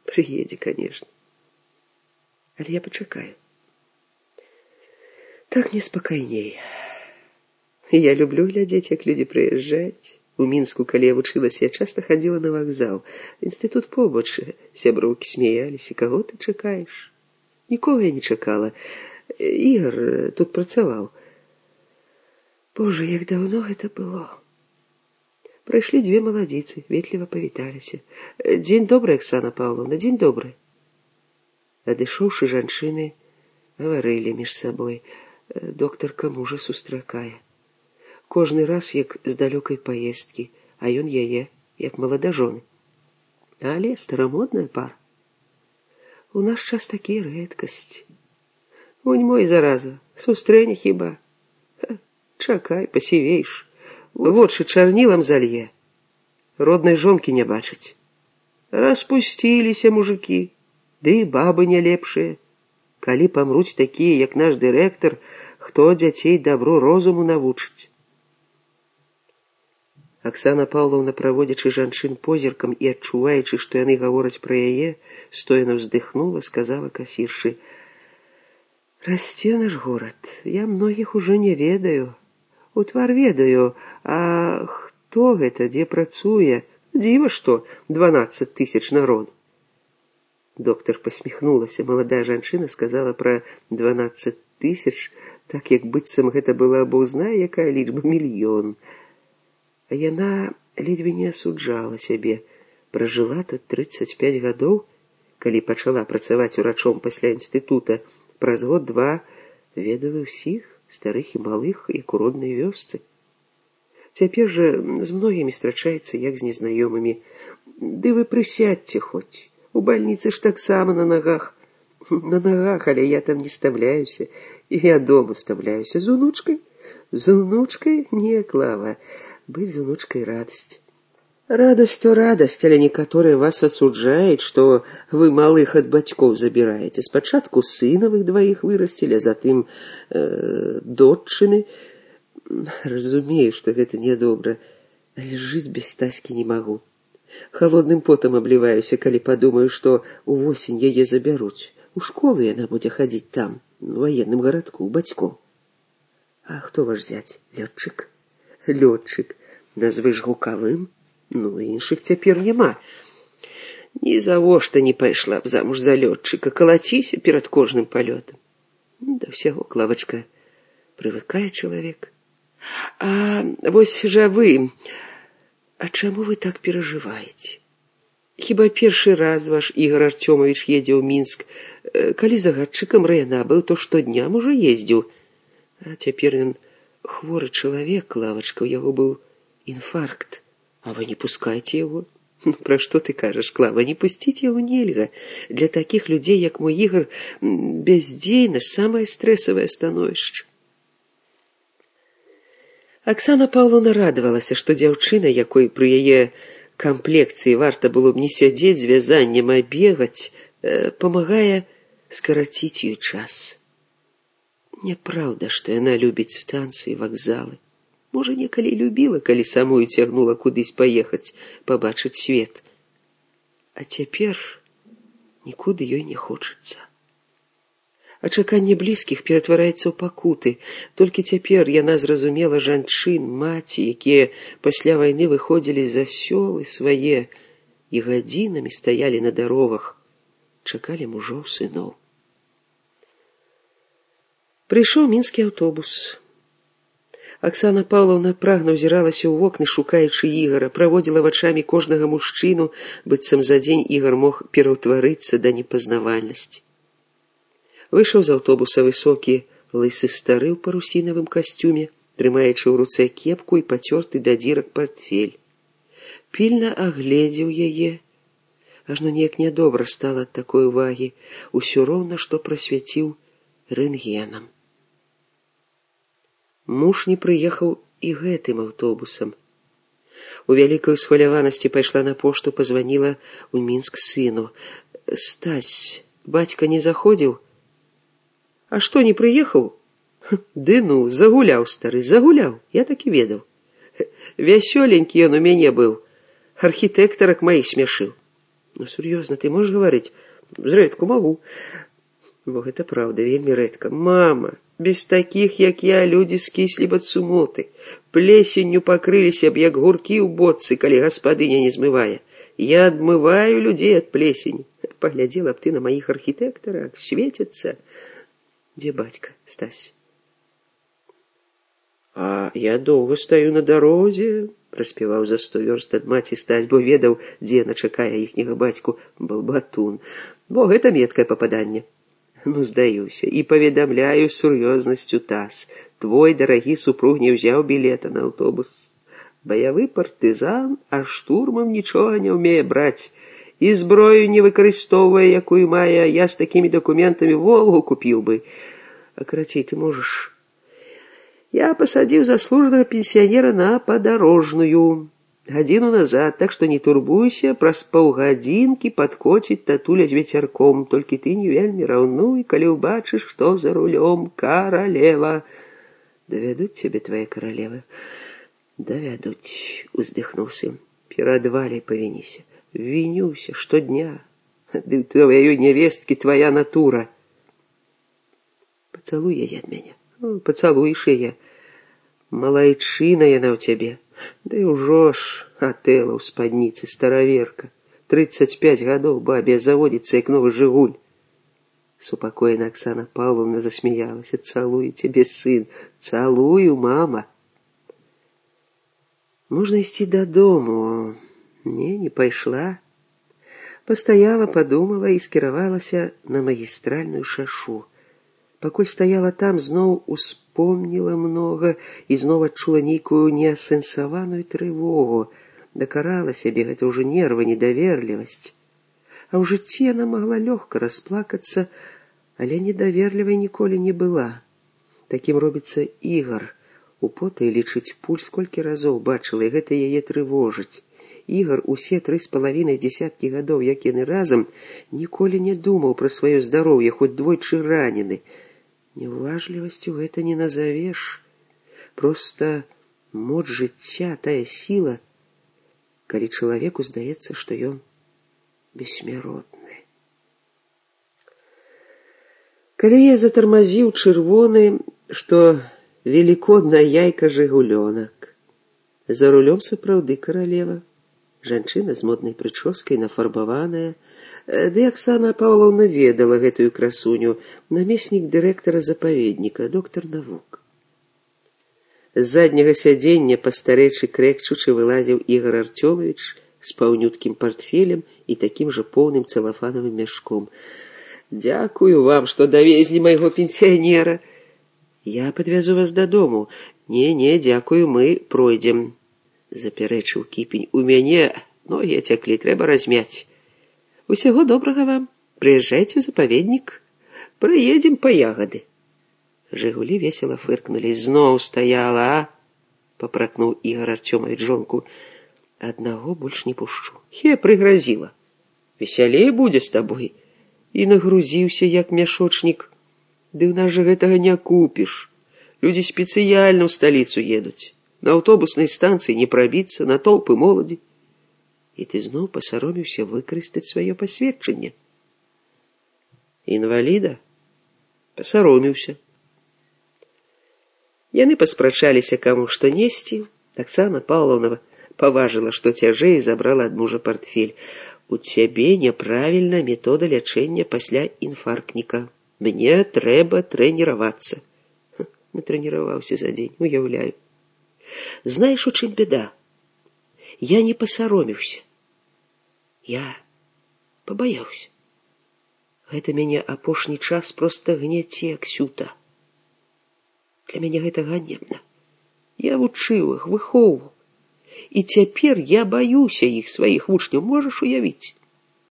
Приедзе, конечно. Але я пачакаю. Так мне спакайней. Я люблю глядзець, як людзі прыязджаюць. У Мінску, калі я вучылася, я часта хадзіла на вакзал. Інстытут побач, сяброўкі смяяліся. Каго ты чакаеш? Нікога я не чакала. Ігар тут працаваў. Боже, як даўно гэта было. Прыйшлі дзве маладзіцы, ветліва павіталіся. Дзень добры, Аксана Паўловна, дзень добры. Адышоўшы, жанчыны гаварылі між сабой. Доктарка мужа сустракае. Кожны раз, як з далёкай паездкі, а ён яе, як маладажоны. Але старамодная пара. У наш час такія рэдкасць. Вунь мой, зараза, сустрэне хіба. Чакай, пасівееш. Вочы чарнілам залье. Роднай жонкі не бачыць. Распусціліся мужыкі, ды і бабы не лепшыя. Калі памруць такія, як наш дырэктар, хто дзяцей дабру розуму навучыць? Аксана Паўловна, праводзячы жанчын позіркам і адчуваючы, што яны гавораць пра яе, стоена ўздыхнула, сказала касіршы: «Расце наш горад. Я многіх ужо не ведаю. У твар ведаю, а хто гэта, дзе працуе? Дзіва што, 12 000 народу». Доктор посміхнулася. Маладая жанчына сказала пра 12 000, так як быццам гэта была бог знае якая лічба, мільён. А яна ледзьве не асуджала сябе. Пражыла тут 35 гадоў, калі пачала працаваць урачом пасля інстытута. Праз год-два ведала ўсіх, старых і малых, як у роднай вёсцы. Цяпер жа з многімі страчаецца, як з незнаёмымі. Ды вы прысядьце хоць. У бальніцы ж таксама на нагах. На нагах, але я там не стамляюся. І я дома стамляюся. З унучкай? З унучкай? Не, Клава. Быць з унучкай радасць. Радасць то радасць, але некаторыя вас асуджаюць, што вы малых ад бацькоў забіраеце. Спачатку сынавых дваіх вырасцілі, а затым доччыны. Разумею, што гэта нядобра, але жыць без Стаські не магу. Холодным потам абліваюся, калі падумаю, што увосень яе забяруць. У школу яна будзе хадзіць там, у ваенным гарадку, у бацькоў. А хто ваш зяць? Лётчык? Лётчык. Назвыш гукавым? Ну, іншых цяпер няма. Ні завошта не пайшла б замуж за лётчыка. Калаціся перад кожным палётам. Да ўсяго, Клавачка, прывыкае чалавек. А вось жа вы... А чаму вы так перажываеце? Хіба першы раз ваш Ігар Артёмавіч едзе ў Мінск? Калі загадчыкам райана быў, то штодня можа ездзіў. А цяпер ён хворы чалавек, Клавачка, у яго быў інфаркт. А вы не пускаеце яго? Пра што ты кажаш, Клава? Не пусціць яго нельга. Для такіх людзей, як мой Ігар, бяздзейнасць самае стрэсавае становішча. Аксана Паўловна радавалася, што дзяўчына, якой пры яе камплекцыі варта было б не сядзець з вязаннем, а бегаць, памагае скараціць ёй час. Няпраўда, што яна любіць станцыі, вакзалы. Можа, некалі любіла, калі самую цягнула кудысь паехаць, пабачыць свет. А цяпер нікуды ёй не хочацца. А чаканне блізкіх ператвараецца ў пакуты. Толькі цяпер яна зразумела жанчын, маці, якія пасля вайны выходзілі за сёлы свае і гадзінамі стаялі на дарогах, чакалі мужоў, сыноў. Прыйшоў мінскі аўтобус. Аксана Паўловна прагна ўзіралася ў вокны, шукаючы Ігара, праводзіла вачамі кожнага мужчыну, быццам за дзень Ігар мог пераўтварыцца да непазнавальнасці. Выйшаў з аўтобуса высокі, лысы стары ў парусінавым касцюме, трымаючы ў руцэ кепку і пацёрты да дзірак партфель. Пільна агледзеў яе. Ажно неяк нядобра стала ад такой увагі. Усё роўна, што прасвяціў рэнтгенам. Муж не прыехаў і гэтым аўтобусам. У вялікай усхваляванасці пайшла на пошту, пазваніла ў Мінск сыну. «Стась, бацька не заходзіў? А што, не прыехаў? Ды ну, загуляў, стары, загуляў, я так і ведаў. Вясёленькі ён у мяне быў, архітэктарак маіх смяшыў. Ну, сур'ёзна, ты можаш гаварыць? Зрэдку магу. Бо гэта праўда, вельмі рэдка. Мама, без такіх, як я, людзі скіслі б ад сумоты. Плесенню пакрыліся б, як гуркі ў бочцы, калі гаспадыня не змывае. Я адмываю людзей ад плесені. Паглядзела б ты на маіх архітэктарах, свецяцца. Дзе бацька, Стась? А я доўга стаю на дарозе, праспяваў за 100 вёрст ад маці Стась, бо ведаў, дзе яна чакае іхняга бацьку, балбатун. Бо гэта меткае пападанне. Ну, здаюся, і паведамляю з сур'ёзнасцю таз. Твой дарагі супруг не ўзяў білета на аўтобус. Баявы партызан, а штурмам нічога не ўмее браць. І зброю не выкарыстоўвае, якую мае, я з такімі дакументамі Волгу купіў бы. А карацей, ты можаш... Я пасадзіў заслужанага пенсіянера на падарожную гадзіну назад, так што не турбуйся, праз паўгадзінкі падкоціць татуля з вецярком, толькі ты не вельмі раўнуй, калі ўбачыш, што за рулём, каралева. Давядуць цябе твае каралевы? Давядуць, уздыхнуў сын. Перад Валяй павініся. Вінюся штодня. Ды ў тваёй нявесткі твая натура. Пацалуй яе ад мяне. Пацалуеш яе. Малайчына яна ў цябе. Да і ўжо ж Атэла ў спадніцы, стараверка. 35 гадоў бабе заводіцца, як новы жыгуль. Супакоена Аксана Павловна засмяялася. Цалую цябе, сын. Цалую, мама. Можна ісці дадому. Не пайшла. Пастаяла, падумала і скіравалася на магістральную шашу. Пакуль стаяла там, зноў успомніла многа і зноў адчула нейкую неасэнсаваную трывогу. Дакарала сябе, гэта ўжо нерва, недаверлівасць. А ў жыцці яна магла лёгка расплакацца, але недаверлівай ніколі не была. Такім робіцца Ігар. Употай лічыць пульс колькі разоў бачыла, і гэта яе трывожыць. Ігар усе 3,5 дзесяткі гадоў, як яны разам, ніколі не думаў пра сваё здароўе, хоць двойчы ранены. Неуважлівасцю гэта не назавеш. Проста моц жыцця, тая сіла, калі чалавеку здаецца, што ён бессмяротны. Калі я затармазіў чырвоны, што велікодная яйка жыгулёнак. За рулём сапраўды каралева. Жанчына з моднай прычоскай, нафарбаваная. Ды Аксана Павловна ведала гэтую красуню, намеснік дырэктара запаведніка, доктар навук. З задняга сядзення пастарэчы крэкчучы вылазіў Ігар Артёмавіч з паўнюткім партфелем і такім жа поўным цэлафанавым мяшком. Дзякую вам, што давезлі майго пенсіянера. Я падвязу вас дадому. Не, дзякую, мы пройдзем. Запярэчыў Кіпень. У мяне ногі цяклі, трэба размяць. Усяго добрага вам. Прыязджайце ў запаведнік. Прыедзем па ягады. Жыгулі весела фыркнулі. Зноў стаяла, а? Папракнуў Ігар Артёмавіч жонку. Аднаго больш не пушчу. Прыгразіла. Весялей будзе з табой. І нагрузіўся, як мяшочнік. Ды ў нас жа гэтага не купіш. Людзі спецыяльна ў сталіцу едуць. На аўтобуснай станцыі не прабіцца, на толпы моладзі. І ты зноў пасароміўся выкарыстаць сваё пасведчанне. Інваліда? Пасароміўся. Яны паспрачаліся, каму што несці. Аксана Павловна паважыла, што цяжэй, забрала ад мужа партфель. У цябе няправільна метода лячэння пасля інфарктніка. Мне трэба трэніравацца. Натрэніраваўся за дзень, уяўляю. Знаеш, у чым беда? Я не пасароміўся. Я пабаяўся. Гэта мяне апошні час проста гняце, Ксюта. Для мяне гэта ганебна. Я вучыў іх, выхоўваў. І цяпер я баюся іх, сваіх вучняў, можаш уявіць?